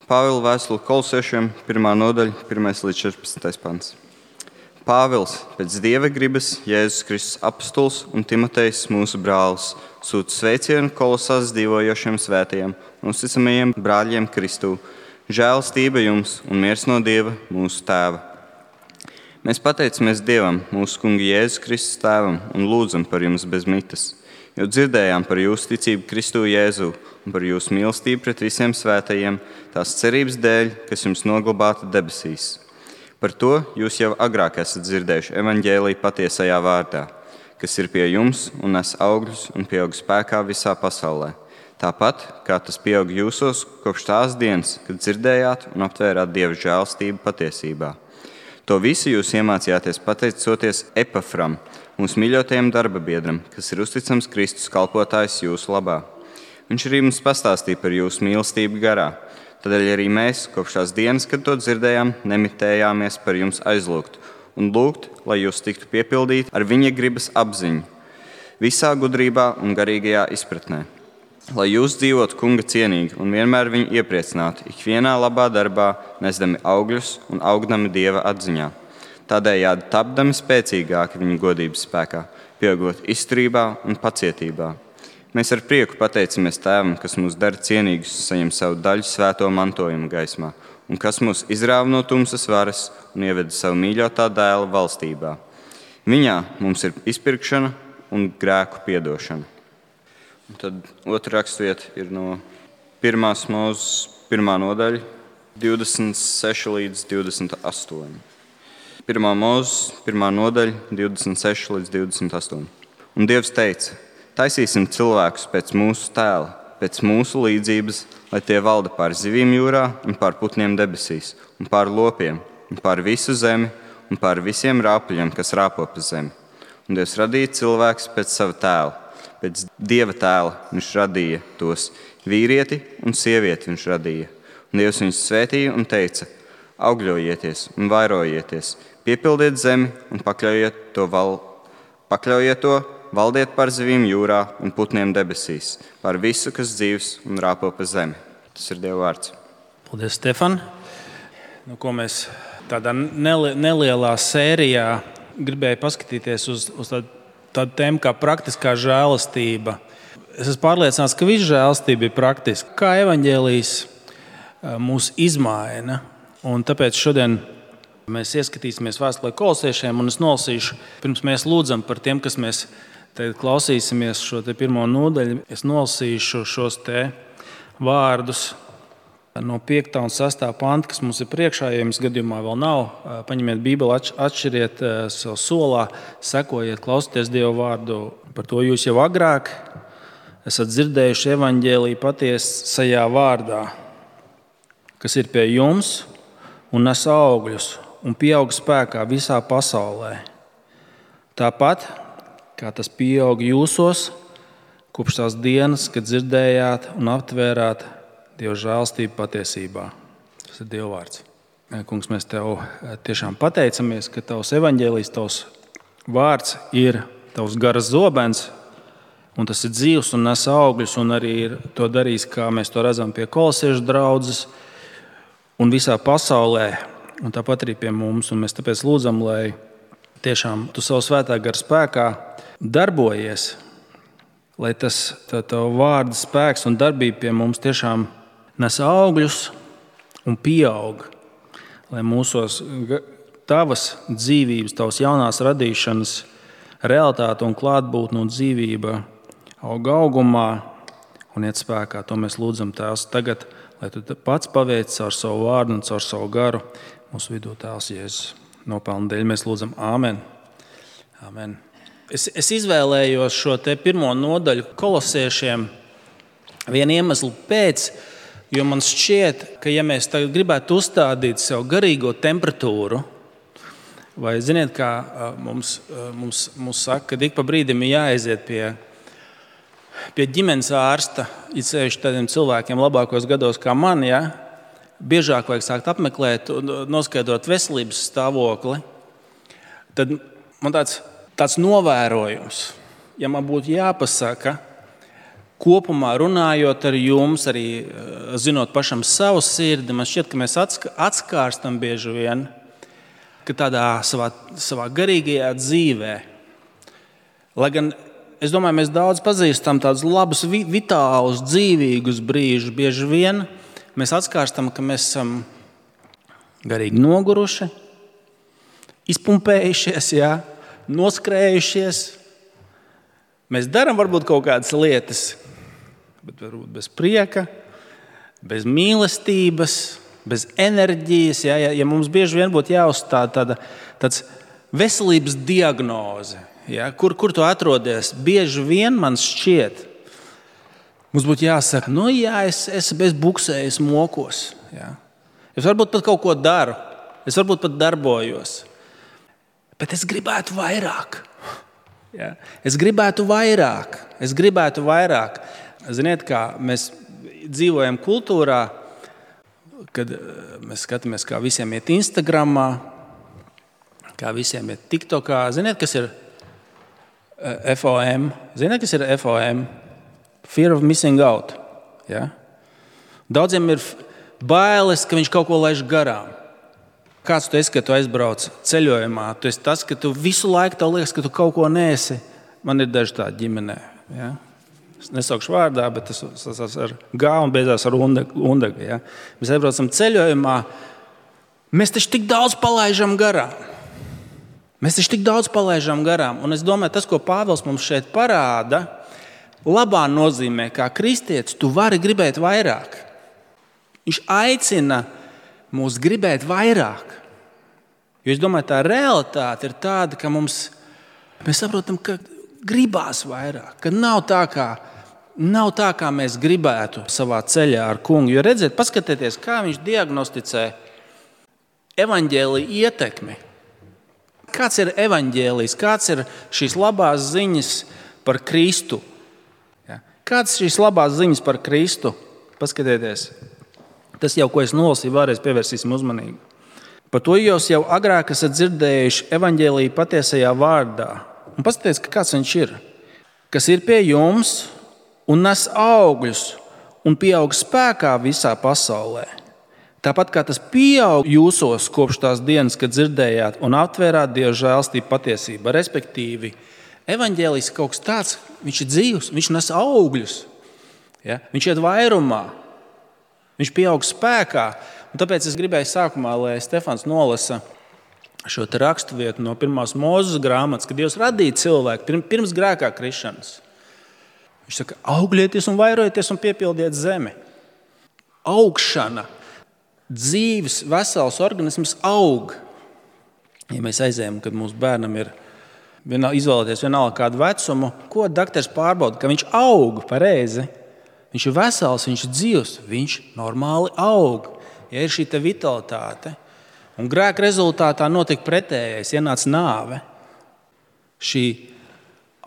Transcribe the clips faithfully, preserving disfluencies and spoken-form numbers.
Pāvila vēstule Kolosiešiem, pirmā nodaļa, pirmais līdz četrpadsmitais pants. Pāvils, pēc Dieva gribas, Jēzus Kristus apostols un Timotejs, mūsu brālis, sūta sveicienu Kolosās dzīvojošiem svētajiem un uzticamajiem brāļiem Kristū. Žēlastība jums un miers no Dieva, mūsu Tēva. Mēs pateicamies Dievam, mūsu Kunga Jēzus Kristus Tēvam, un lūdzam par jums bez mitas, jo dzirdējām par jūsu ticību Kristū Jēzu un par jūsu mīlestību pret visiem svētajiem, tās cerības dēļ, kas jums noglabāta debesīs. Par to jūs jau agrāk esat dzirdējuši evaņģēliju patiesajā vārdā, kas ir pie jums un nes augļus un pieaug spēkā visā pasaulē. Tāpat, kā tas pieaug jūsos kopš tās dienas, kad dzirdējāt un aptvērāt Dieva žēlastību patiesībā. To visu jūs iemācījāties pateicoties Epafram, mūsu mīļotajam darba biedram, kas ir uzticams Kristus kalpotājs jūsu labā. Viņš arī mums pastāstīja par jūsu mīlestību garā. Tādēļ arī mēs, kopš tās dienas, kad to dzirdējām, nemitējāmies par jums aizlūgt un lūgt, lai jūs tiktu piepildīti ar viņa gribas apziņu, visā gudrībā un garīgajā izpratnē. Lai jūs dzīvotu Kunga cienīgi un vienmēr viņu iepriecinātu, ikvienā labā darbā, nesdami augļus un augdami Dieva atziņā. Tādējādi tapdami spēcīgāki viņa godības spēkā, pieaugot izturībā un pacietībā. Mēs ar prieku pateicamies Tēvam, kas mūs dara cienīgus saņem savu daļu svēto mantojumu gaismā un kas mūs izrāva no tumsas varas un ieveda savu mīļotā dēla valstībā. Viņā mums ir izpirkšana un grēku piedošana. Un tad otra raksturvieta ir no pirmās Mūzes pirmā nodaļa, divdesmit seši līdz divdesmit astoņi. Pirmā Mūzes pirmā nodaļa, divdesmit seši līdz divdesmit astoņi. Un Dievs teica: taisīsim cilvēkus pēc mūsu tēla, pēc mūsu līdzības, lai tie valda pār zivīm jūrā un pār putniem debesīs, un pār lopiem, un pār visu zemi, un pār visiem rāpuļiem, kas rāpo pa zemi. Un Dievs radīja cilvēkus pēc sava tēla, pēc Dieva tēla viņš radīja tos, vīrieti un sievieti viņš radīja. Un Dievs viņus svētīja un teica: augļojieties un vairojieties, piepildiet zemi un pakļaujiet to val, pakļaujiet to, valdiet par zivīm jūrā un putniem debesīs, par visu, kas dzīvs un rāpo pa zemi. Tas ir Dieva vārds. Paldies, Stefan. Nu, ko mēs tādā neli- nelielā sērijā gribēju paskatīties uz, uz tādu, tādu tēmu kā praktiskā žēlastība. Es esmu pārliecināts, ka visa žēlastība ir praktiska. Kā evaņģēlijs mūs izmaina. Un tāpēc šodien mēs ieskatīsimies vēstulē Kolosiešiem, un es nolasīšu, pirms mēs lūdzam par tiem, kas mēs tagad klausīsimies šo te pirmo nodaļu. Es nolasīšu šos te vārdus no piektā un sestā panta, kas mums ir priekšā. Ja jums gadījumā vēl nav, paņemiet Bībeli, atšķiriet sev solā, sekojiet, klausieties Dieva vārdu. Par to jūs jau agrāk esat dzirdējuši evaņģēliju patiesajā vārdā, kas ir pie jums un nes augļus un pieaug spēkā visā pasaulē. Tāpat, kā tas pieaug jūsos, kopš tās dienas, kad dzirdējāt un aptvērāt Dieva žēlastību patiesībā. Tas ir Dieva vārds. Kungs, mēs Tev tiešām pateicamies, ka Tavs evaņģēlijs, Tavs vārds ir Tavs garas zobens, un tas ir dzīvs un nes augļus, un arī ir to darījis, kā mēs to redzam pie kolosiešu draudzes un visā pasaulē. Un tāpat arī pie mums, un mēs tāpēc lūdzam, lai tiešām Tu savu svētā gara spēkā darbojies, lai tas Tava vārda spēks un darbība pie mums tiešām nes augļus un pieaug, lai mūsos Tavas dzīvības, Tavas jaunās radīšanas realitāte un klātbūtne un dzīvība aug augumā un iet spēkā. To mēs lūdzam Tēvs tagad, lai Tu pats paveic caur savu vārdu un caur savu garu mūsu vidū, Tēvs Jēzus. Nopelnu dēļ mēs lūdzam āmen. Āmen. Es, es izvēlējos šo te pirmo nodaļu Kolosiešiem vienu iemeslu pēc, jo man šķiet, ka ja mēs tagad gribētu uzstādīt sev garīgo temperatūru, vai ziniet, kā mums, mums, mums saka, ka ik pa brīdim ir jāaiziet pie, pie ģimenes ārsta, it sevišķi tādiem cilvēkiem labākos gados kā man, ja? Biežāk vajag sākt apmeklēt un noskaidrot veselības stāvokli, tad man tāds, tāds novērojums, ja man būtu jāpasaka, kopumā runājot ar jums, arī zinot pašam savu sirdi, man šķiet, ka mēs atskārstam bieži vien, ka tādā savā, savā garīgajā dzīvē, lai gan es domāju, mēs daudz pazīstam tādus labus, vitālus, dzīvīgus brīžus, bieži vien mēs atskārstam, ka mēs esam garīgi noguruši, izpumpējušies, jā, noskrējušies. Mēs darām varbūt kaut kādas lietas, bet varbūt bez prieka, bez mīlestības, bez enerģijas. Jā, ja, ja mums bieži vien būtu jāuzstāda tāda tāds veselības diagnoze, jā, kur, kur tu atrodies, bieži vien man šķiet, mums būtu jāsaka, nu jā, es, es bez buksējas mokos. Jā. Es varbūt pat kaut ko daru, es varbūt pat darbojos, bet es gribētu vairāk. Ja? Es gribētu vairāk, es gribētu vairāk. Ziniet, kā mēs dzīvojam kultūrā, kad mēs skatāmies, kā visiem iet Instagramā, kā visiem iet TikTokā. Ziniet, kas ir F O M? Ziniet, kas ir F O M? Fear of missing out. Ja? Daudziem ir bailes, ka viņš kaut ko laiž garām. Kāds tu esi, ka tu aizbrauc ceļojumā? Tu esi tas, ka tu visu laiku tev liekas, ka tu kaut ko neesi. Man ir daži tādi ģimenē. Ja? Es nesaukšu vārdā, bet tas sasās ar G un beidzās ar undegu. Ja? Mēs aizbraucam ceļojumā. Mēs taču tik daudz palaižam garām. Mēs taču tik daudz palaižam garām. Un es domāju, tas, ko Pāvils mums šeit parāda, labā nozīmē, kā kristietis, tu vari gribēt vairāk. Viņš aicina mūs gribēt vairāk. Jo es domāju, tā realitāte ir tāda, ka mums, mēs saprotam, ka gribās vairāk, ka nav tā, kā, nav tā, kā mēs gribētu savā ceļā ar kungu. Jo redziet, paskatieties, kā viņš diagnosticē evaņģēlija ietekmi. Kāds ir evaņģēlijs, kāds ir šīs labās ziņas par Kristu? Ja? Kāds ir šīs labās ziņas par Kristu? Paskatieties. Tas jau, ko es nolasīju, vēlreiz pievērsīsim uzmanību. Par to jūs jau agrāk esat dzirdējuši evaņģēlija patiesajā vārdā. Un paskatieties, kāds viņš ir. Kas ir pie jums un nes augļus un pieaug spēkā visā pasaulē. Tāpat kā tas pieaug jūsos kopš tās dienas, kad dzirdējāt un aptvērāt Dieva žēlstību patiesību. Respektīvi, evaņģēlijs ir kaut kas tāds, viņš ir dzīvs, viņš nes augļus. Ja? Viņš iet vairumā. Viņš pieaug spēkā, un tāpēc es gribēju sākumā, lai Stefans nolasa šo te raksturvietu no pirmās Mūzes grāmatas, kad Dievs radīja cilvēku pirms grēkā krišanas. Viņš saka, auglieties un vairojieties un piepildiet zemi. Augšana, dzīves, vesels organisms aug. Ja mēs aizējam, kad mūsu bērnam ir izvēlēties vienalga kādu vecumu, ko daktars pārbauda, ka viņš aug pareizi. Viņš ir vesels, viņš ir dzīvs, viņš normāli aug. Ja ir šī te vitalitāte. Un grēka rezultātā notika pretējais, ienāca nāve. Šī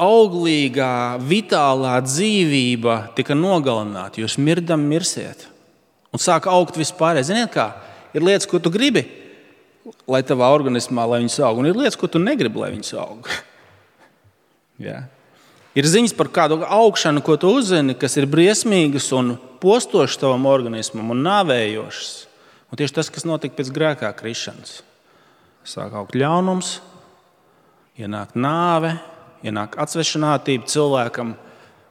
auglīgā, vitālā dzīvība tika nogalināta. Jūs mirdam mirsiet. Un sāk augt vispārējais. Ziniet kā? Ir lietas, ko tu gribi, lai tavā organismā, lai viņas aug. Un ir lietas, ko tu negribi, lai viņas aug. Jā. Ir ziņas par kādu augšanu, ko tu uzzini, kas ir briesmīgas un postošas tavam organismam un nāvējošas. Un tieši tas, kas notika pēc grēkā krišanas. Sāk augt ļaunums, ienāk nāve, ienāk atsvešinātība cilvēkam,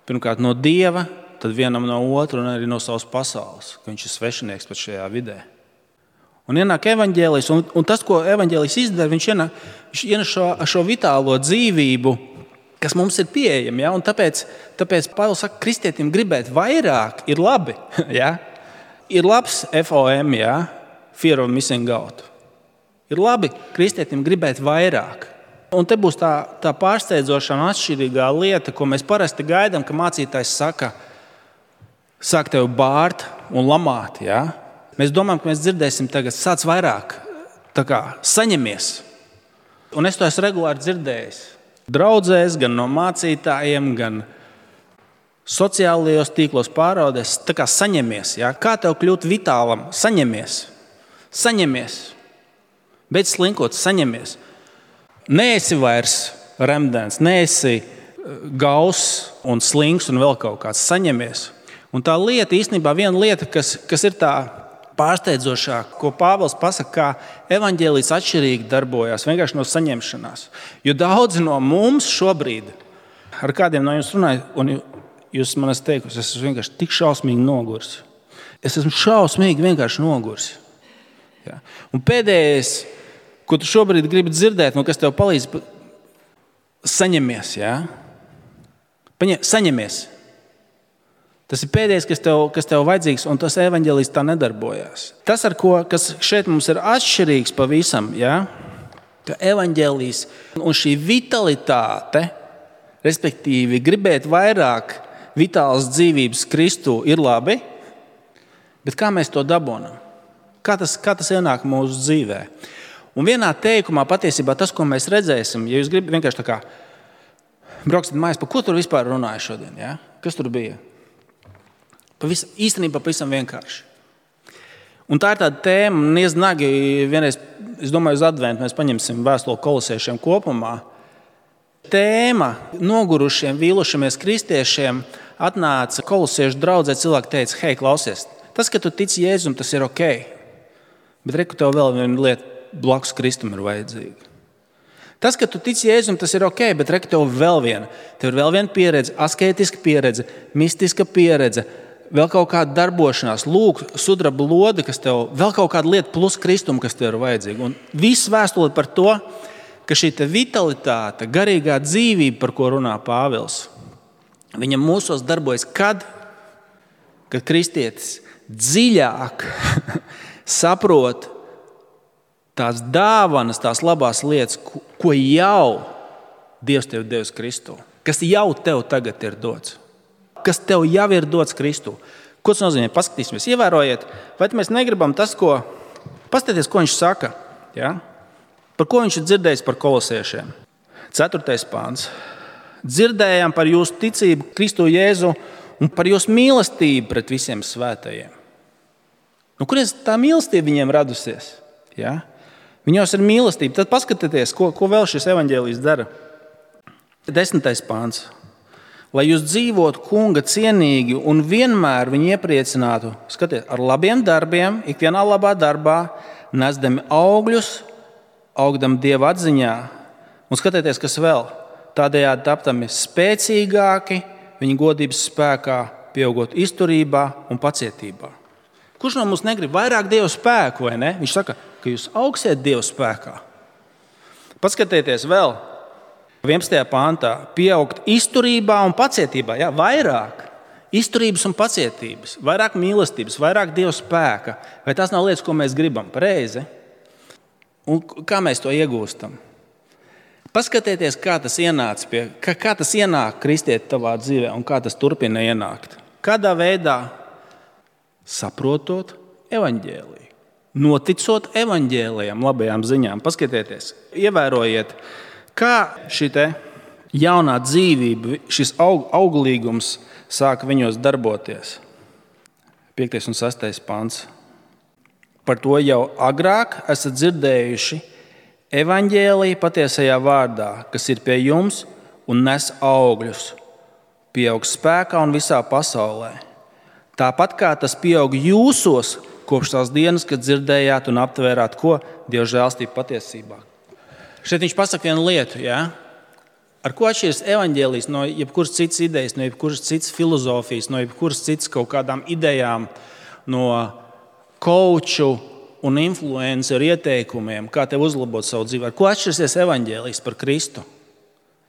pirmkārt no Dieva, tad vienam no otru un arī no savas pasaules, ka viņš ir svešinieks pat šajā vidē. Un ienāk evaņģēlijs, un, un tas, ko evaņģēlijs izdara, viņš ienāk, viņš ienāk šo, šo vitālo dzīvību, kas mums ir pieejami. Ja? Un tāpēc, tāpēc Pāvils saka, kristietim gribēt vairāk ir labi. Ja? Ir labs F O M, ja? Fear of missing out. Ir labi kristietim gribēt vairāk. Un te būs tā, tā pārsteidzošā un atšķirīgā lieta, ko mēs parasti gaidām, ka mācītājs saka, sāk tevi bārt un lamāt. Ja? Mēs domājam, ka mēs dzirdēsim tagad, sāc vairāk, tā kā saņemies. Un es to esmu regulāri dzirdējis. Draudzēs, gan no mācītājiem, gan sociālajos tīklos pārādēs, tā kā saņemies. Ja? Kā tev kļūt vitālam? Saņemies. Saņemies. Beidz slinkot, saņemies. Neesi vairs remdens, neesi gauss un slings un vēl kaut kāds, saņemies. Un tā lieta īstenībā viena lieta, kas, kas ir tā pārsteidzošā, ko Pāvils pasaka, kā evaņģēlijs atšķirīgi darbojās vienkārši no saņemšanās. Jo daudzi no mums šobrīd, ar kādiem no jums runāju, un jūs man esat teikusi, es esmu vienkārši tik šausmīgi noguris. Es esmu šausmīgi vienkārši noguris. Ja? Un pēdējais, ko tu šobrīd gribi dzirdēt, un kas tev palīdz, saņemies. Ja? Paņem, saņemies. Tas ir pēdējais, kas tev, kas tev vajadzīgs, un tas evaņģēlijs tā nedarbojās. Tas, ar ko, kas šeit mums ir atšķirīgs pavisam, ja? Ka evaņģēlijs un šī vitalitāte, respektīvi gribēt vairāk vitālas dzīvības Kristū ir labi, bet kā mēs to dabonam? Kā tas, kā tas ienāk mūsu dzīvē? Un vienā teikumā patiesībā tas, ko mēs redzēsim, ja jūs gribat vienkārši tā kā brauksiet mājās, par ko tur vispār runāja šodien? Ja? Kas tur bija? Pavis, īstenībā pavisam vienkārši. Un tā ir tāda tēma, un ieznagi vienreiz, es domāju, uz adventu mēs paņemsim vēstuli kolosiešiem kopumā. Tēma nogurušiem, vīlušamies kristiešiem atnāca kolosiešu draudzē, cilvēki teica, hei, klausies, tas, ka tu tici Jēzum, tas ir ok, bet reku tev vēl viena lieta blakus Kristum ir vajadzīga. Tas, ka tu tici Jēzum, tas ir ok, bet reku tev vēl viena. Tev ir vēl viena pieredze, asketiska pieredze, mistiska pieredze, vēl kaut kāda darbošanās, lūk, sudraba lode, kas tev, vēl kaut kāda lieta plus Kristum, kas tev ir vajadzīga. Un viss vēstule par to, ka šī vitalitāte, garīgā dzīvība, par ko runā Pāvils, viņam mūsos darbojas, kad, kad kristietis dziļāk saprot tās dāvanas, tās labās lietas, ko jau Dievs tev devis Kristū, kas jau tev tagad ir dots. Kas tev jau ir dots Kristū. Ko tas nozīmē? Paskatīsimies, ievērojiet, vai mēs negribam tas, ko... Paskatieties, ko viņš saka. Ja? Par ko viņš ir dzirdējis par kolosiešiem. Ceturtais pāns. Dzirdējām par jūsu ticību Kristu Jēzu un par jūsu mīlestību pret visiem svētajiem. Nu, kurienes tā mīlestība viņiem radusies? Ja? Viņos ir mīlestība. Tad paskatieties, ko, ko vēl šis evaņģēlijs dara. Desmitais pāns. Lai jūs dzīvotu kunga cienīgi un vienmēr viņu iepriecinātu, skatiet, ar labiem darbiem, ikvienā labā darbā, nesdami augļus, augdam Dieva atziņā. Un skatieties, kas vēl, tādējādi taptami spēcīgāki, viņa godības spēkā, pieaugot izturībā un pacietībā. Kurš no mums negrib vairāk Dieva spēku, vai ne? Viņš saka, ka jūs augsiet Dieva spēkā. Paskatieties vēl. vienpadsmitajā pāntā pieaugt izturībā un pacietībā, jā, vairāk izturības un pacietības, vairāk mīlestības, vairāk Dieva spēka. Vai tās nav lietas, ko mēs gribam? Pareizi. Un kā mēs to iegūstam? Paskatieties, kā tas ienāca pie, kā, kā tas ienāk kristieti tavā dzīvē un kā tas turpina ienākt. Kādā veidā? Saprotot evaņģēliju, noticot evaņģēlijam, labajām ziņām. Paskatieties, ievērojiet, kā šī te jaunā dzīvība, šis aug, auglīgums sāka viņos darboties. piektais un sestais pants. Par to jau agrāk esat dzirdējuši evaņģēliju patiesajā vārdā, kas ir pie jums un nes augļus, pieaug spēkā un visā pasaulē. Tāpat kā tas pieaug jūsos kopš tās dienas, kad dzirdējāt un aptvērāt, ko Dieva žēlstība patiesībā. Šeit viņš pasaka vienu lietu, ja? Ar ko atšķiras evaņģēlijs no jebkuras citas idejas, no jebkuras citas filozofijas, no jebkuras citas kaut kādām idejām, no kouču un influenceru ieteikumiem, kā tev uzlabot savu dzīvi. Ar ko atšķirsies evaņģēlijs par Kristu?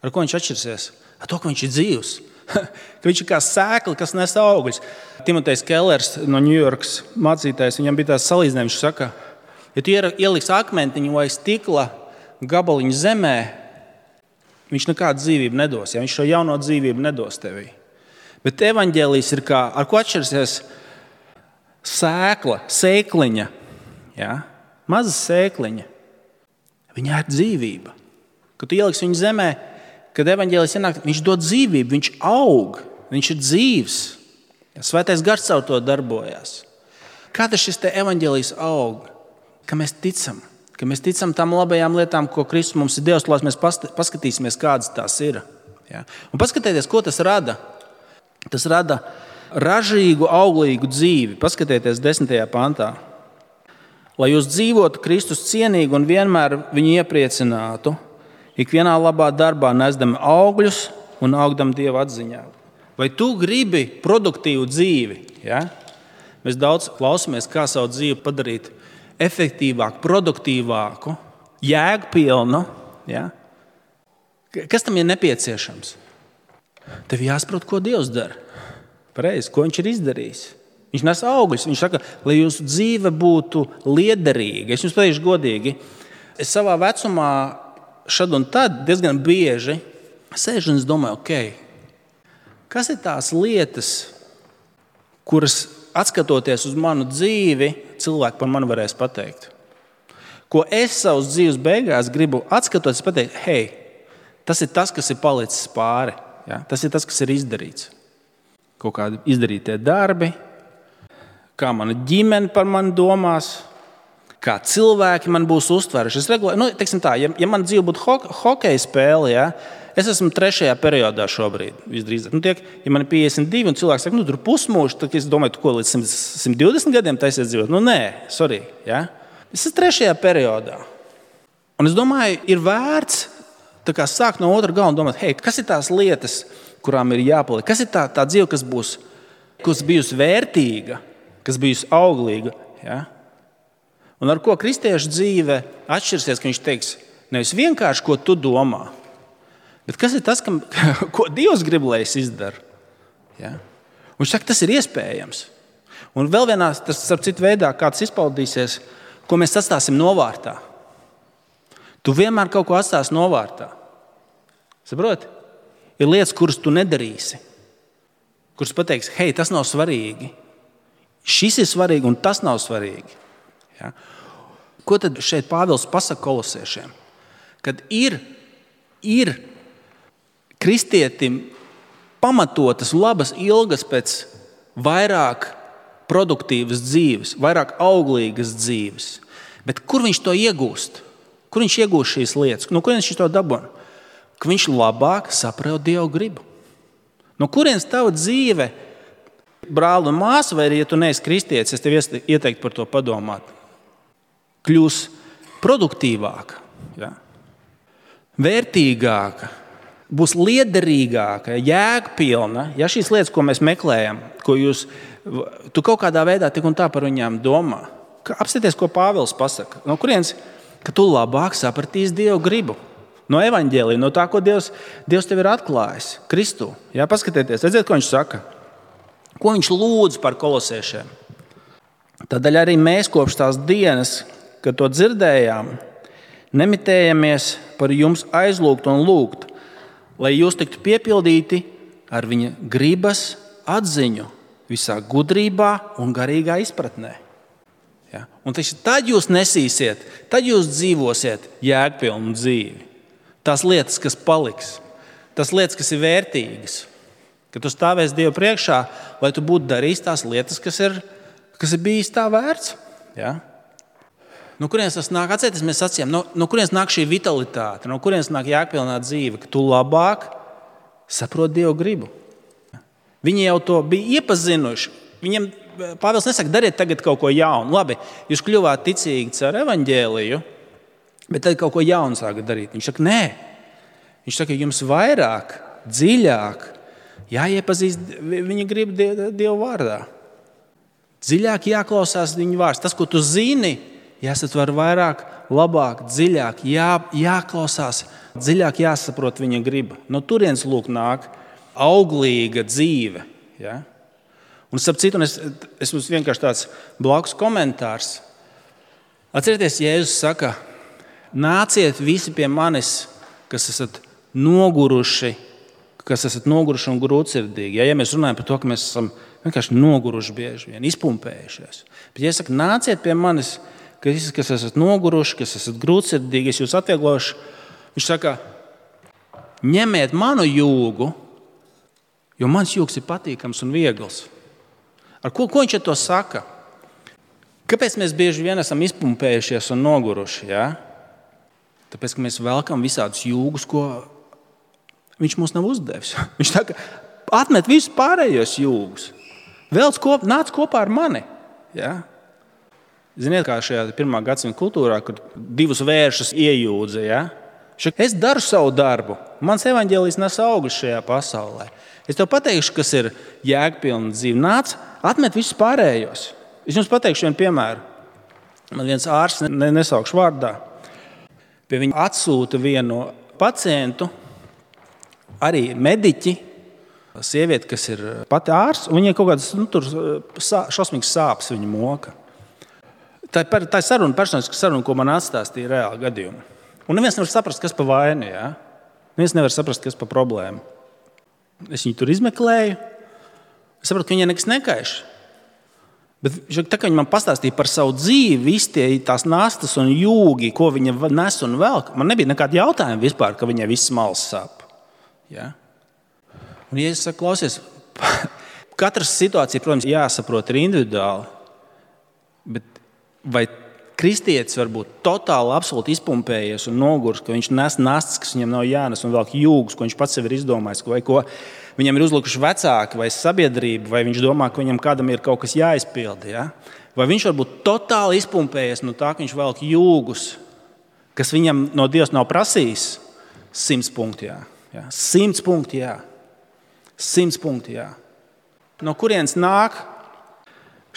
Ar ko viņš atšķirsies? Ar to, ka viņš ir dzīvs. Ka viņš ir kā sēkla, kas nes augļus. Timotejs Kellers no Ņujorkas mācītājs, viņam bija tās salīdzinājums, viņš saka, ja tu ieliks akmentiņu vai stikla gabaliņu zemē, viņš nekādu dzīvību nedos, ja viņš šo jauno dzīvību nedos tevī. Bet evaņģēlijs ir kā, ar ko atšķirsies sēkla, sēkliņa, ja? Maza sēkliņa. Viņā ir dzīvība. Kad tu ieliks viņu zemē, kad evaņģēlijs ienāk, viņš dod dzīvību, viņš aug, viņš ir dzīvs. Svētais gars caur to darbojās. Kā tas šis te evaņģēlijs aug? Ka mēs ticam. Ka mēs ticam tām labajām lietām, ko Kristus mums ir devis, lai mēs paskatīsimies, kādas tās ir. Ja? Un paskatieties, ko tas rada. Tas rada ražīgu, auglīgu dzīvi. Paskatieties desmitajā pantā. Lai jūs dzīvotu Kristus cienīgi un vienmēr viņu iepriecinātu, ikvienā labā darbā nesdami augļus un augdam Dieva atziņā. Vai tu gribi produktīvu dzīvi? Ja? Mēs daudz klausamies, kā savu dzīvi padarīt efektīvāku, produktīvāku, jēgpilnu. Ja? Kas tam ir nepieciešams? Tev jāsaprot, ko Dievs dara. Pareizi, ko viņš ir izdarījis. Viņš nes augļus. Viņš saka, lai jūsu dzīve būtu liederīga. Es jums pateikšu godīgi, es savā vecumā šad un tad diezgan bieži sēžu un es domāju, ok, kas ir tās lietas, kuras atskatoties uz manu dzīvi, cilvēki par mani varēs pateikt. Ko es savas dzīves beigās gribu atskatoties pateikt, hei, tas ir tas, kas ir palicis pāri. Ja? Tas ir tas, kas ir izdarīts. Kaut kādi izdarītie darbi, kā mana ģimene par mani domās, kā cilvēki man būs uztveruši. Es regulāri, nu, teiksim tā, ja, ja man dzīve būtu ho hokeja spēle, ja, es esmu trešajā periodā šobrīd. Visdrīzāk. Nu, tiek, ja man ir piecdesmit divi un cilvēks saka, nu, tur pusmūžs, tad es domāju, tu ko līdz simt divdesmit gadiem taisies dzīvot? Nu, nē, sorry. Ja? Es esmu trešajā periodā. Un es domāju, ir vērts tā kā sākt no otra gala un domāt, hei, kas ir tās lietas, kurām ir jāpaliek? Kas ir tā, tā dzīve, kas būs, kas bijusi vērtīga, kas bijusi auglīga? Ja? Un ar ko kristiešu dzīve atšķirsies, ka viņš teiks, nevis vienkārši, ko tu domā, bet kas ir tas, kam, ko Dievs grib, lai es izdaru? Ja? Un viņš saka, tas ir iespējams. Un vēl vienā, tas starp citu veidā, kā tas izpaudīsies, ko mēs atstāsim novārtā. Tu vienmēr kaut ko atstāsi novārtā. Saproti? Ir lietas, kuras tu nedarīsi, kuras pateiks, hei, tas nav svarīgi. Šis ir svarīgi un tas nav svarīgi. Ja? Ko tad šeit Pāvils pasaka kolosiešiem? Kad ir, ir kristietim pamatotas, labas ilgas pēc vairāk produktīvas dzīves, vairāk auglīgas dzīves. Bet kur viņš to iegūst? Kur viņš iegūst šīs lietas? No kurienes viņš to dabūna? Ka viņš labāk saprot Dievu gribu. No kurienes tava dzīve, brāli un māsa, vai arī, ja tu neesi kristietis, es tev ieteiktu par to padomāt, kļūs produktīvāka, ja? Vērtīgāka, būs liederīgāka, jēgpilna. Ja šīs lietas, ko mēs meklējam, ko jūs, tu kaut kādā veidā tik un tā par viņām domā. Apstāties, ko Pāvils pasaka. No kurienes, ka tu labāk sapratīsi Dievu gribu. No evaņģēlija, no tā, ko Dievs, Dievs tev ir atklājis Kristū. Jā, paskatieties, redziet, ko viņš saka. Ko viņš lūdz par kolosiešiem. Tādēļ arī mēs kopš tās dienas, kad to dzirdējām, nemitējamies par jums aizlūgt un lūgt, lai jūs tiktu piepildīti ar viņa gribas atziņu visā gudrībā un garīgā izpratnē. Ja? Un tad jūs nesīsiet, tad jūs dzīvosiet jēgpilnu dzīvi. Tās lietas, kas paliks, tās lietas, kas ir vērtīgas, kad tu stāvēsi Dievu priekšā, lai tu būtu darījis tās lietas, kas ir, kas ir bijis tā vērts. Ja? No kurienes tas nāk? Atcerieties, mēs sacījām, no, no kurienes nāk šī vitalitāte, no kurienes nāk jēgpilnā dzīve, ka tu labāk saproti Dievu gribu. Viņi jau to bija iepazinuši. Viņiem Pāvils nesaka, dariet tagad kaut ko jaunu. Labi, jūs kļuvāt ticīgi caur evaņģēliju, bet tad kaut ko jaunu sākat darīt. Viņš saka, nē. Viņš saka, jums vairāk, dziļāk jāiepazīst viņa gribu Dievu vārdā. Dziļāk jāklausās viņa vārds. Tas, ko tu zini, jāsatver vairāk, labāk, dziļāk, jā, jāklausās, dziļāk jāsaprot viņa griba. No turienes lūk nāk auglīga dzīve. Ja? Un starp citu, es, es mums vienkārši tāds blakus komentārs. Atcerieties, Jēzus saka, nāciet visi pie manis, kas esat noguruši, kas esat noguruši un grūtsirdīgi. Ja, ja mēs runājam par to, ka mēs esam vienkārši noguruši bieži vien, izpumpējušies. Bet, ja es saku, nāciet pie manis, kas, kas esat noguruši, kas esat grūtsirdīgi, es jūs atvieglošu, viņš saka, ņemiet manu jūgu, jo mans jūgs ir patīkams un viegls. Ar ko, ko viņš ar to saka? Kāpēc mēs bieži vien esam izpumpējušies un noguruši? Ja? Tāpēc, ka mēs velkam visādus jūgus, ko Viņš mums nav uzdevis. Viņš tā kā atmet visus pārējos jūgus. Velc kop, nāc kopā ar mani. Ja? Ziniet, kā šajā pirmā gadsimta kultūrā, kur divus vēršus iejūdza. Ja? Es daru savu darbu. Mans evaņģēlijs nes augļus šajā pasaulē. Es tev pateikšu, kas ir jēgpilna dzīve. Nāc, atmet visus pārējos. Es jums pateikšu vienu piemēru. Man viens ārsts, ne, nesaukšu vārdā, pie viņa atsūta vienu pacientu, arī mediķi, sieviete, kas ir pati ārsts, un viņai kaut kādas nu, tur šausmīgas sāpes viņa moka. Tā ir, tā ir saruna, personiska saruna, ko man atstāstīja reāli gadījumi. Un neviens nevar saprast, kas pa vainu, ja? Neviens nevar saprast, kas pa problēmu. Es viņu tur izmeklēju, es sapratu, ka viņai nekas nekaiš. Bet tā, ka viņa man pastāstīja par savu dzīvi, visi tie tās nastas un jūgi, ko viņa nes un velk, man nebija nekāda jautājuma vispār, ka viņai viss malas sāp. Ja? Un ja es saku, klausies, katras situācija, protams, jāsaprot ir individuāli, bet vai kristietis var būt totāli absolūti izpumpējies un nogurs, ka viņš nes nastas, kas viņam nav jānes un velk jūgus, ko viņš pats sev ir izdomājis, vai ko viņam ir uzlikuši vecāki vai sabiedrība, vai viņš domā, ka viņam kādam ir kaut kas jāizpilda. Ja? Vai viņš var būt totāli izpumpējies no tā, ka viņš velk jūgus, kas viņam no Dievs nav prasījis? Simts punkti, jā. Ja? Simts punkti, jā. Simts punkti, jā. No kurienes nāk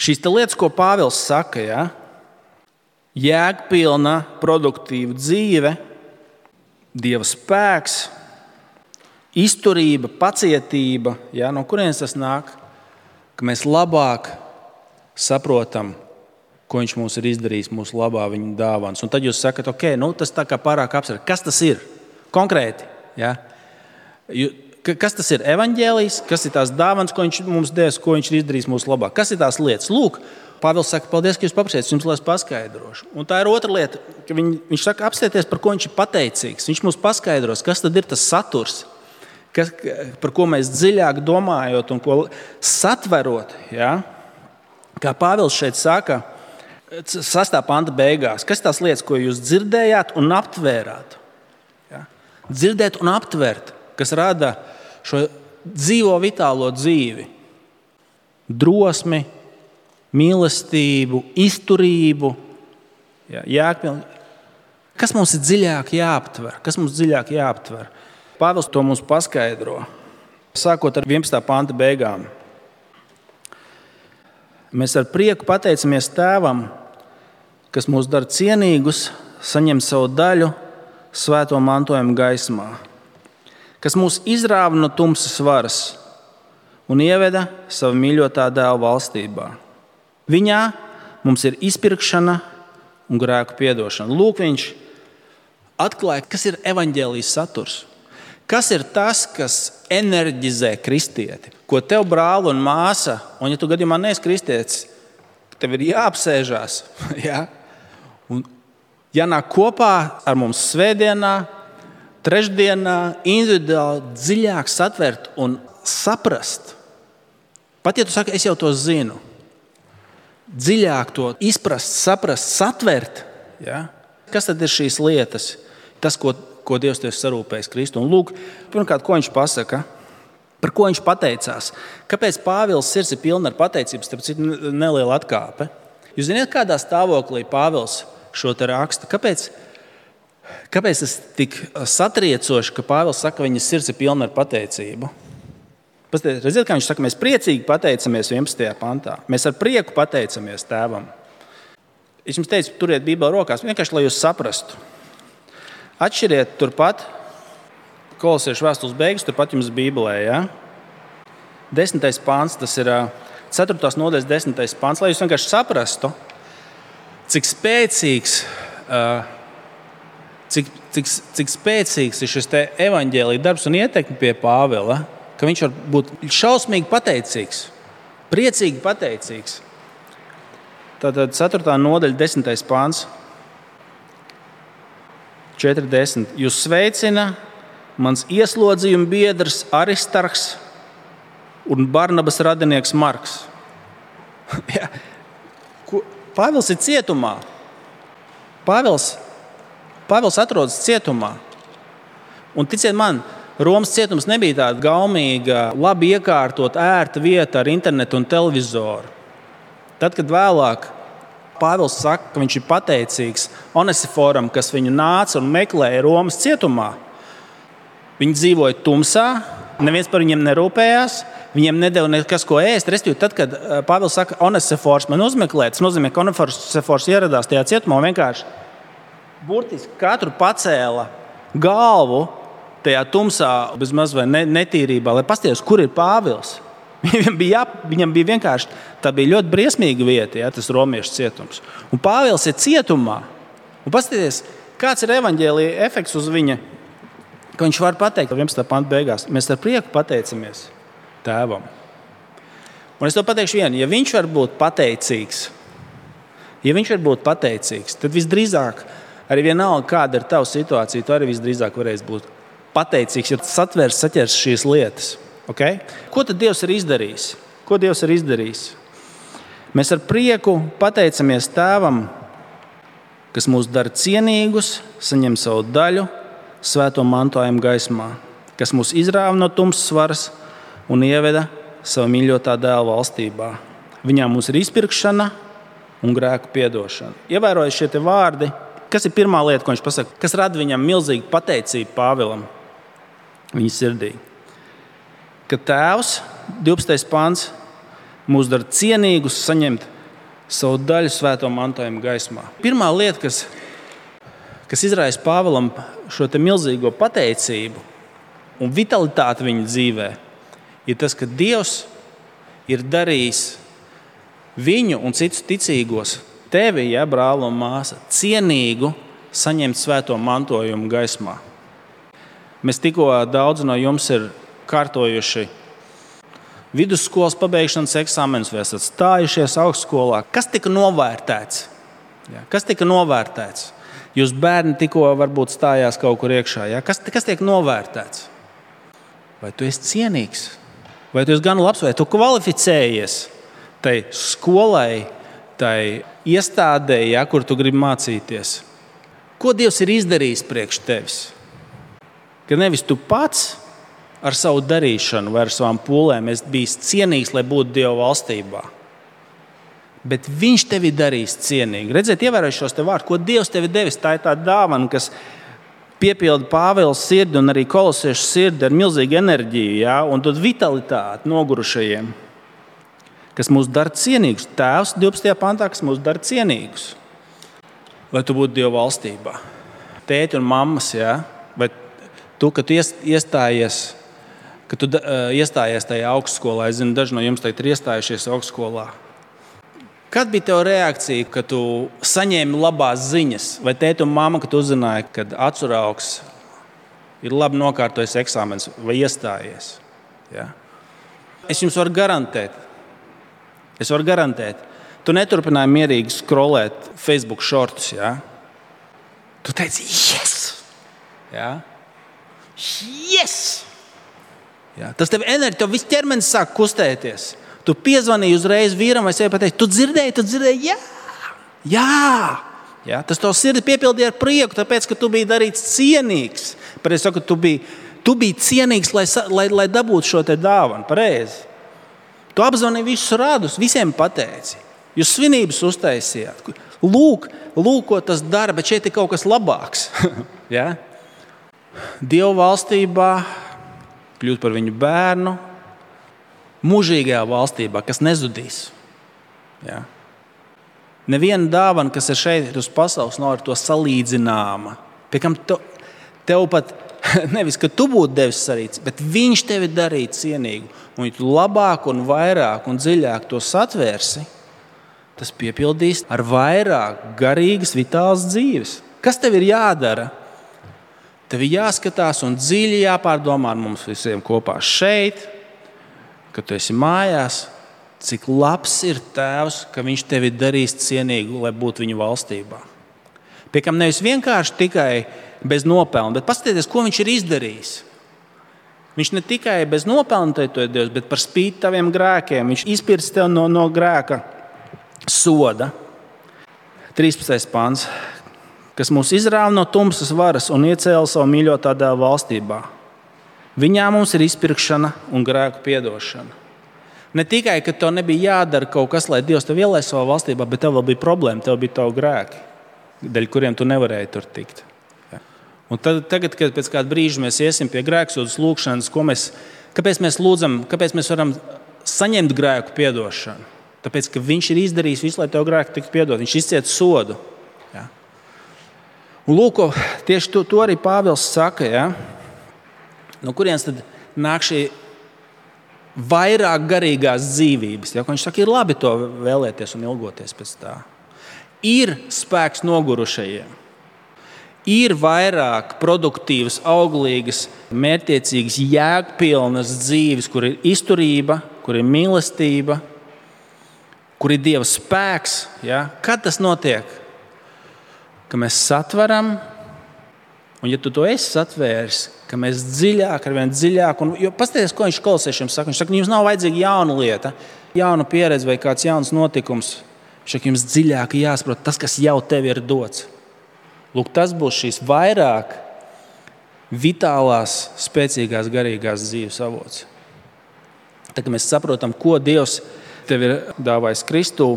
šīs lietas, ko Pāvils saka, ja? Jēgpilna, produktīva dzīve, Dieva spēks, izturība, pacietība, ja? No kurienes tas nāk? Ka mēs labāk saprotam, ko viņš mums ir izdarījis mūsu labā viņa dāvāns. Un tad jūs sakat, ok, nu, tas tā kā pārāk abstrakt. Kas tas ir? Konkrēti. Ja? Kas tas ir? Evaņģēlijs, kas ir tās dāvāns, ko viņš mums devis, ko viņš ir izdarījis mūsu labā? Kas ir tās lietas? Lūk, Pāvils saka, paldies, ka jūs paprasījāt, jums lai es paskaidrošu. Un tā ir otra lieta, ka viņ, viņš saka, apstieties, par ko viņš ir pateicīgs. Viņš mums paskaidros, kas tad ir tas saturs, kas, par ko mēs dziļāk domājot un ko satverot. Ja? Kā Pāvils šeit saka, sastā panta beigās, kas tās lietas, ko jūs dzirdējāt un aptvērāt? Ja? Dzirdēt un aptvert, kas rada šo dzīvo vitālo dzīvi, drosmi, mīlestību, izturību. Ja? Jēgpilni. Kas mums ir dziļāk jāaptver? Kas mums dziļāk jāaptver? Pāvils to mums paskaidro, sākot ar vienpadsmitā panta beigām. Mēs ar prieku pateicamies Tēvam, kas mūs dara cienīgus, saņem savu daļu svēto mantojumu gaismā, kas mūs izrāva no tumsas varas un ieveda savu mīļotā dēla valstībā. Viņā mums ir izpirkšana un grēku piedošana. Lūk, viņš atklāja, kas ir evaņģēlijas saturs. Kas ir tas, kas enerģizē kristieti? Ko tev, brāl un māsa, un ja tu gadījumā neesi kristietis, tev ir jāapsēžās. Ja? Un jānāk kopā ar mums svētdienā, trešdienā, individuāli dziļāk satvert un saprast. Pat ja tu saki, es jau to zinu, dziļāk to izprast, saprast, satvert. Ja? Kas tad ir šīs lietas? Tas, ko, ko Dievs tev sarūpējis Kristu. Un lūk, pirmkārt, ko viņš pasaka, par ko viņš pateicās. Kāpēc Pāvils sirds ir pilna ar pateicības, tāpēc ir neliela atkāpe. Jūs zināt, kādā stāvoklī Pāvils šo te raksta? Kāpēc, kāpēc tas tik satriecoši, ka Pāvils saka, ka viņa sirds ir pilna ar pateicību? Redziet, kā viņš saka, mēs priecīgi pateicamies vienpadsmitajā pantā. Mēs ar prieku pateicamies Tēvam. Es jums teicu, turiet Bībeli rokās, vienkārši, lai jūs saprastu. Atšķiriet turpat, Kolosiešu vēstules beigas, turpat jums Bībelē. Ja? Desmitais pants, tas ir ceturtās nodaļas desmitais pants, lai jūs vienkārši saprastu, cik spēcīgs, cik, cik, cik spēcīgs ir šis te evaņģēlija darbs un ietekme pie Pāvila. Ka viņš var būt šausmīgi pateicīgs, priecīgi pateicīgs. Tātad ceturtā nodaļa, desmitais pāns, četrdesmit. Jūs sveicina mans ieslodzījuma biedrs Aristarhs un Barnabas radinieks Marks. Ja. Pāvils ir cietumā. Pāvils, Pāvils atrodas cietumā. Un ticiet man, Romas cietums nebija tāda gaumīga, labi iekārtot, ērta vieta ar internetu un televizoru. Tad, kad vēlāk Pāvils saka, ka viņš ir pateicīgs Onesiforam, kas viņu nāca un meklēja Romas cietumā, viņi dzīvoja tumsā, neviens par viņiem nerūpējās, viņiem nedeva nekas, ko ēst. Respektīvi, tad, kad Pāvils saka, Onesifors man uzmeklē, tas nozīmē, ka Onesifors ieradās tajā cietumā un vienkārši burtiski katru pacēla galvu tajā tumsā, bezmaz vai netīrībā, lai paskatītos, kur ir Pāvils. Viņam bija, jā, viņam bija vienkārši, tā bija ļoti briesmīga vieta, jā, tas romiešu cietums. Un Pāvils ir cietumā. Un paskatieties, kāds ir evaņģēlija efekts uz viņa, ka viņš var pateikt, vienpadsmitā panta beigās, mēs ar prieku pateicamies Tēvam. Un es to pateikšu vienu, ja viņš var būt pateicīgs, ja viņš var būt pateicīgs, tad visdrīzāk, arī vienalga, kāda ir tava situācija, tu arī visdrīzāk varēsi būt pateicīgs, ja satvērs saķers šīs lietas. Okay? Ko tad Dievs ir izdarījis? Ko Dievs ir izdarījis? Mēs ar prieku pateicamies Tēvam, kas mūs dara cienīgus, saņem savu daļu svēto mantojumu gaismā, kas mūs izrāva no tumsas varas un ieveda savu mīļotā dēla valstībā. Viņā mums ir izpirkšana un grēku piedošana. Ievērojiet šie te vārdi, kas ir pirmā lieta, ko viņš pasaka, kas rada viņam milzīgu pateicību Pāvilam viņa sirdī. Ka Tēvs, divpadsmitais pants, mūs dara cienīgus saņemt savu daļu svēto mantojumu gaismā. Pirmā lieta, kas, kas izraisa Pāvilam šo te milzīgo pateicību un vitalitāti viņa dzīvē, ir tas, ka Dievs ir darījis viņu un citus ticīgos, tevi, ja, brāl un māsa, cienīgu saņemt svēto mantojumu gaismā. Mēs tikko daudz no jums ir kārtojuši vidusskolas pabeigšanas eksāmenus, vai esat stājušies augstskolā. Kas tika novērtēts? Ja, kas tika novērtēts? Jūs bērni tikko varbūt stājās kaut kur iekšā. Ja? Kas, kas tiek novērtēts? Vai tu esi cienīgs? Vai tu esi gan labs? Vai tu kvalificējies tai skolai, tai iestādē, ja, kur tu gribi mācīties? Ko Dievs ir izdarījis priekš tevis? Ka nevis tu pats ar savu darīšanu vai ar savām pūlēm esi bijis cienīgs, lai būtu Dieva valstībā. Bet Viņš tevi darīs cienīgi. Redziet, ievērojot šos te vārdus, ko Dievs tevi devis, tā ir tā dāvana, kas piepilda Pāvila sirdi un arī kolosiešu sirdi ar milzīgu enerģiju, ja, un dod vitalitāti nogurušajiem, kas mūs dara cienīgus. Tēvs divpadsmitajā pantā, kas mūs dara cienīgus, lai tu būtu Dieva valstībā. Tēti un mammas, ja, vai tu, kad tu iestājies, kad tu uh, iestājies tajā augstskolā, es zinu, daži no jums tagad ir iestājušies augstskolā. Kad bija tev reakcija, kad tu saņēmi labās ziņas? Vai tēti un mamma, kad uzzināja, kad atsaraugs ir labi nokārtojis eksāmenis vai iestājies? Ja? Es jums varu garantēt, es varu garantēt, tu neturpināji mierīgi scrollēt Facebook shortus. Ja? Tu teici, yes! Ja? Yes! Ja? Tas tev enerģija, tev viss ķermenis sāk kustēties. Tu piezvanīji uzreiz vīram vai sevi pateici, tu dzirdēji, tu dzirdēji, jā, jā. Ja? Tas tev sirdi piepildīja ar prieku, tāpēc, ka tu biji darīts cienīgs. Pareizi saku, tu biji, tu biji cienīgs, lai, lai, lai dabūtu šo te dāvanu. Pareizi. Tu apzvanīji visus rādus, visiem pateici. Jūs svinības uztaisījāt. Lūk, lūk, ko tas dara, bet šeit ir kaut kas labāks. Ja? Dieva valstībā kļūt par viņu bērnu, mūžīgajā valstībā, kas nezudīs. Ja? Neviena dāvana, kas ir šeit uz pasaules, nav ar to salīdzināma. Piekam tev, tev pat nevis, ka tu būtu devis sarīts, bet viņš tevi darīja cienīgu. Un ja tu labāk un vairāk un dziļāk to satvērsi, tas piepildīs ar vairāk garīgas, vitālas dzīves. Kas tev ir jādara? Tev ir jāskatās un dziļi jāpārdomā ar mums visiem kopā šeit, kad tu esi mājās, cik labs ir Tēvs, ka Viņš tevi darīs cienīgu, lai būtu viņa valstībā. Piekam nevis vienkārši tikai bez nopelna, bet paskatieties, ko Viņš ir izdarījis. Viņš ne tikai bez nopelna te to ir Dievs, bet par spīti taviem grēkiem. Viņš izpirks tev no, no grēka soda. trīspadsmitais pants, kas mūs izrāva no tumsas varas un iecēla savu mīļotā dēla valstībā. Viņā mums ir izpirkšana un grēku piedošana. Ne tikai, ka tev nebija jādara kaut kas, lai Dievs tev ielaiž savā valstībā, bet tev vēl bija problēma, tev bija tavi grēki, dēļ kuriem tu nevarēji tur tikt. Un tad, tagad, kad pēc kāda brīža mēs iesim pie grēksūdzes lūgšanas, ko mēs, kāpēc mēs lūdzam, kāpēc mēs varam saņemt grēku piedošanu? Tāpēc, ka viņš ir izdarījis visu, lai tev grēku tiktu piedot. Viņš izciet sodu. Ja? Un lūk, tieši to, to arī Pāvils saka. Ja? No kurienes tad nāk šī vairāk garīgās dzīvības? Ja? Viņš saka, ir labi to vēlēties un ilgoties pēc tā. Ir spēks nogurušajiem. Ir vairāk produktīvas, auglīgas, mērķtiecīgas, jēgpilnas dzīves, kur ir izturība, kur ir mīlestība, kur ir Dieva spēks. Ja? Kad tas notiek? Ka mēs satveram, un ja tu to esi satvēris, ka mēs dziļāk, arvien dziļāk, un, jo paskaties, ko viņš kolosiešiem saka. Viņš saka, jums nav vajadzīga jauna lieta, jauna pieredze vai kāds jauns notikums. Viņš saka, jums dziļāk jāsaprot tas, kas jau tev ir dots. Lūk, tas būs šīs vairāk vitālās, spēcīgās, garīgās dzīves avots. Tā kā mēs saprotam, ko Dievs tev ir dāvājis Kristū,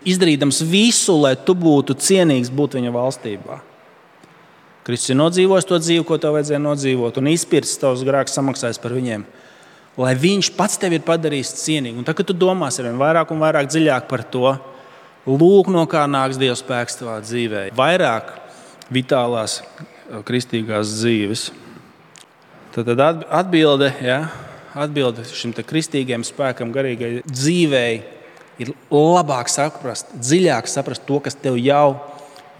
izdarīdams visu, lai tu būtu cienīgs būt viņa valstībā. Kristus ir nodzīvojis to dzīvi, ko tev vajadzēja nodzīvot, un izpircis tavus grēkus, samaksājis par viņiem, lai viņš pats tevi ir padarījis cienīgu. Un tad, kad tu domās ar vien vairāk un vairāk dziļāk par to, lūk, no kā nāks Dieva spēks tavā dzīvē. Vairāk vitālās kristīgās dzīves. Tad atbilde, ja, atbilde šim te kristīgajam spēkam, garīgai dzīvei ir labāk saprast, dziļāk saprast to, kas tev jau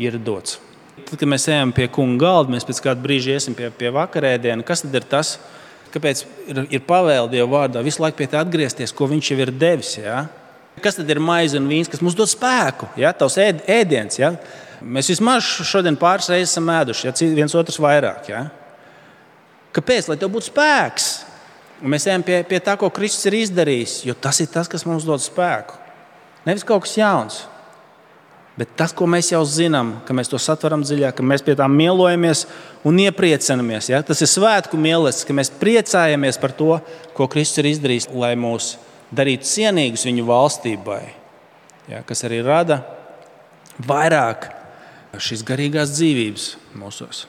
ir dots. Tad, kad mēs ejam pie kunga galda, mēs pēc kāda brīža iesim pie, pie vakarēdiena. Kas tad ir tas, kāpēc ir, ir pavēle Dieva vārdā visu laiku pie tā atgriezties, ko viņš jau ir devis, ja? Kas tad ir maize un vīns, kas mums dod spēku? Ja? Tavs ēd, ēdiens. Ja? Mēs vismaz šodien pāris reizes esam ēduši, ja? Viens otrs vairāk. Ja? Kāpēc? Lai tev būtu spēks. Un mēs ejam pie, pie tā, ko Kristus ir izdarījis, jo tas ir tas, kas mums dod spēku. Nevis kaut kas jauns, bet tas, ko mēs jau zinām, ka mēs to satveram dziļāk, ka mēs pie tā mielojamies un iepriecinamies. Ja? Tas ir svētku mīlestības, ka mēs priecājamies par to, ko Kristus ir izdarījis, lai mūs darīt cienīgus viņu valstībai, ja, kas arī rada vairāk šīs garīgās dzīvības mūsos.